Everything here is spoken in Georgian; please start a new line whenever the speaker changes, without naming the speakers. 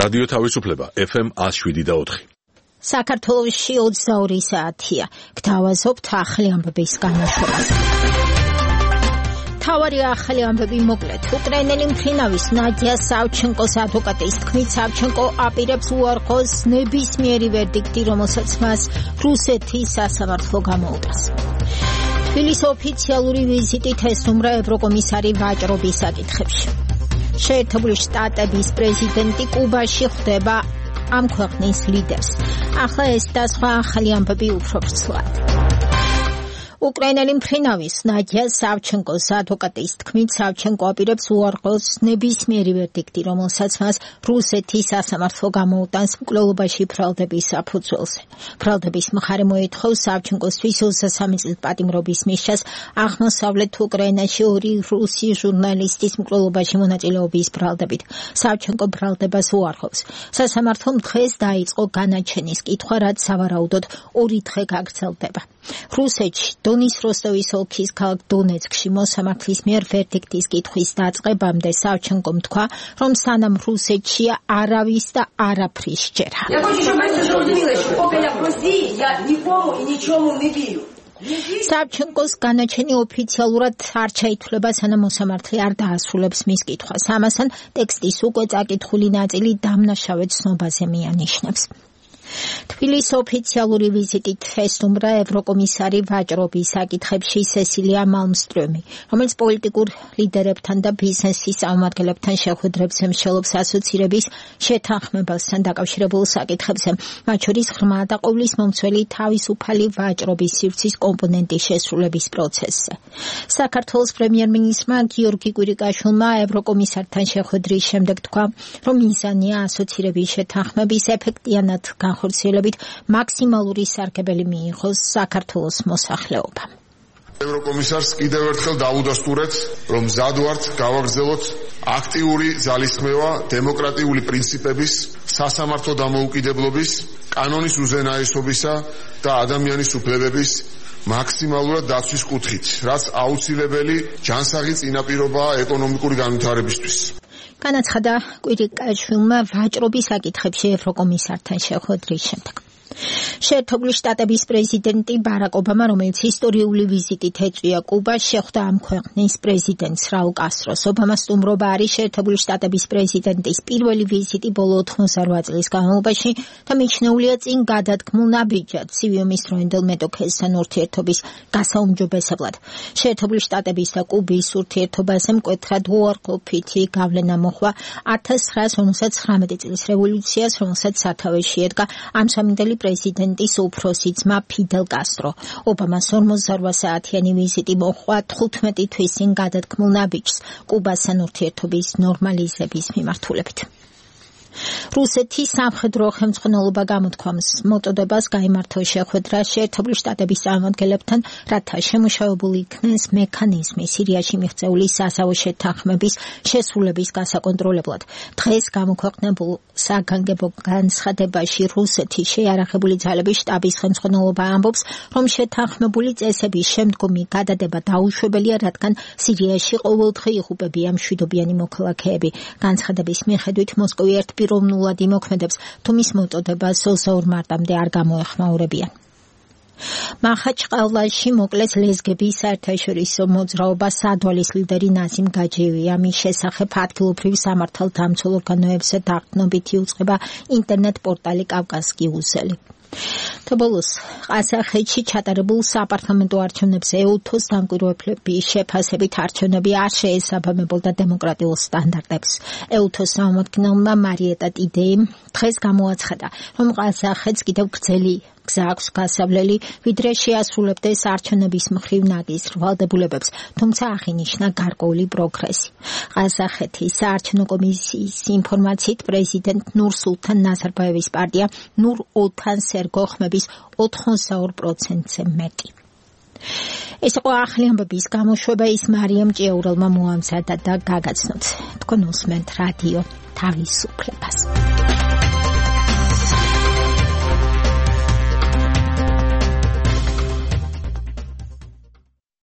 რადიო თავისუფლება FM 107.4.
საქართველოში 22 საათია. გთავაზობთ ახალი ამბების განმავლობას. თავარი ახალი ამბები მოკლედ. უკრაინელი მფრინავის ნადია სავჩენკოს ადვოკატის თქმით, სავჩენკო აპირებს უარყოს ნებისმიერი ვერდიქტი, რომელსაც მას რუსეთის სასამართლო გამოუტანს. თბილისის ოფიციალური ვიზიტით ესტუმრა ევროკომისარი ვაჭრობის საკითხებში. შეერთებული შტატების პრეზიდენტი კუბაში ხვდება ამ ქვეყნის ლიდერს. ახლა ეს და სხვა ახალი ამბები უფრო ვრცლად. უკრაინელი მფრინავის ნადია სავჩენკოს ადვოკატის თქმით, სავჩენკო აპირებს უარყოს ნებისმიერი ვერდიქტი, რომელსაც მას რუსეთის სასამართლო გამოუტანს მკვლელობაში ბრალდების საფუძველზე. ბრალდების მხარე მოითხოვს სავჩენკოსთვის 23 წლის პატიმრობის მისჯას აღმოსავლეთ უკრაინაში 2 რუსი ჟურნალისტის მკვლელობაში მონაწილეობის ბრალდებით. სავჩენკო ბრალდებას უარყოფს. სასამართლომ დღეს დაიწყო განაჩენის კითხვა, რაც სავარაუდოდ 2 დღე გაგრძელდება. რუსეთში დონის როსტოვის ოლქის ქალაქ დონეცკში მოსამართლის მიერ ვერდიქტის კითხვის დაწყებამდე სავჩენკომ თქვა, რომ სანამ რუსეთშია არავის და არაფრის სჯერა. სავჩენკოს განაჩენი ოფიციალურად არ ჩაითვლება, სანამ მოსამართლე არ დაასრულებს მის კითხვას. ამასთან ტექსტის უკვე წაკითხული ნაწილი დამნაშავედ ცნობაზე მიანიშნებს. თბილისის ოფიციალური ვიზიტით ესტუმრა ევროკომისარი ვაჭრობის საკითხებში სესილია მალმსტრომი, რომელიც პოლიტიკურ ლიდერებთან და ბიზნესის წარმომადგენლებთან შეხვედრებს ემსჯელობს ასოცირების შეთანხმებასთან დაკავშირებულ საკითხებზე, მათ შორის ღრმა და ყოვლის მომცველი თავისუფალი ვაჭრობის სივრცის კომპონენტის შესრულების პროცესზე. საქართველოს პრემიერ-მინისტრმა გიორგი კვირიკაშვილმა ევროკომისართან შეხვედრის შემდეგ თქვა, რომ მიზანია ასოცირების შეთანხმების ეფექტიანად ხორციელებით მაქსიმალური სარგებელი მიიღოს საქართველოს მოსახლეობამ.
ევროკომისარს კიდევ ერთხელ დავუდასტურეთ, რომ მზად ვართ გავაგრძელოთ აქტიური ძალისხმევა დემოკრატიული პრინციპების, სასამართლო დამოუკიდებლობის, კანონის უზენაესობისა და ადამიანის უფლებების მაქსიმალურად დაცვის კუთხით, რაც აუცილებელი ჯანსაღი წინაპირობაა ეკონომიკური განვითარებისთვის.
განაცხადა კვირიკაშვილმა ვაჭრობის საკითხებში ევროკომისართან შეხვედრის შემდეგ. შეერთებული შტატების პრეზიდენტი ბარაკ ობამა, რომელიც ისტორიული ვიზიტით ეწვია კუბას, შეხვდა ამ ქვეყნის პრეზიდენტს რაულ კასტროს. ობამას სტუმრობა არის შეერთებული შტატების პრეზიდენტის პირველი ვიზიტი ბოლო 88 წლის განმავლობაში და მიჩნეულია წინ გადადგმულ ნაბიჯად სივიუმის დროინდელ მეტოქესთან ურთიერთობის გასაუმჯობესებლად. შეერთებული შტატების და კუბის ურთიერთობაზე მკვეთრად უარყოფითი გავლენა მოჰყვა 1959 წლის რევოლუციას, რომელსაც სათავეში ედგა ამჟამინდელი პრეზიდენტის უფროსი ძმა ფიდელ კასტრო. ობამას 48 საათიანი ვიზიტი მოჰყვა 15 თვის წინ გადადგმულ ნაბიჯს კუბასთან ურთიერთობის ნორმალიზების მიმართულებით. რუსეთის სამხედრო ხელმძღვანელობა გამოთქვამს მოტოდებას გაიმართა შეხვედრა შეერთებული შტატების წარმომადგენლებთან, რათა შემუშავებული იქნეს მექანიზმი სირიაში მიღწეული საზავო შეთანხმების შესრულების გასაკონტროლებლად. დღეს გამოქვეყნებულ საგანგებო განცხადებაში რუსეთის შეიარაღებული ძალების შტაბის ხელმძღვანელობა ამბობს, რომ შეთანხმებული წესების შემდგომი გადადება დაუშვებელია, რადგან სირიაში ყოველდღე იღუპებიან მშვიდობიანი მოქალაქეები. განცხადების მიხედვით მოსკოვი პიროვნულად იმოქმედებს, თუ მის მოტოდებას 22 მარტამდე არ გამოეხმაურებიან. მახაჩყალაში მოკლეს ლეზგების საერთაშორისო მოძრაობა სადვალის ლიდერი ნაზიმ გაჯიევი. ამის შესახებ ადგილობრივ სამართალდამცველ ორგანოებზე დაყრდნობით იუწყება ინტერნეტ პორტალი კავკასკი უზელი. თბილისის ყაზახეთში ჩატარებულ საპარლამენტო არჩევნებზე ეუთოს დამკვირვებლების შეფასებით არჩევნები არ შეესაბამებოდა დემოკრატიულ სტანდარტებს. ეუთოს წარმომადგენელმა მარიეტა ტიდეიმ დღეს გამოაცხადა, რომ ყაზახეთს კიდევ გრძელი გზა აქვს გასავლელი, ვიდრე შეასრულებდეს არჩევნების მხრივ ნაგის ვალდებულებებს, თუმცა აღინიშნა გარკვეული პროგრესი. ყაზახეთის საარჩევნო კომისიის ინფორმაციით პრეზიდენტ ნურ-სულთან ნაზარბაევის პარტია ნურ-ოლთან სერგოხმების 82%-ზე მეტი. ეს იყო ახალი ამბების გამოშვება, ის მარიამ ჭიაურელმა მოამზადა და გაგაცნოთ. თქვენ უსმენთ რადიო თავისუფლებას.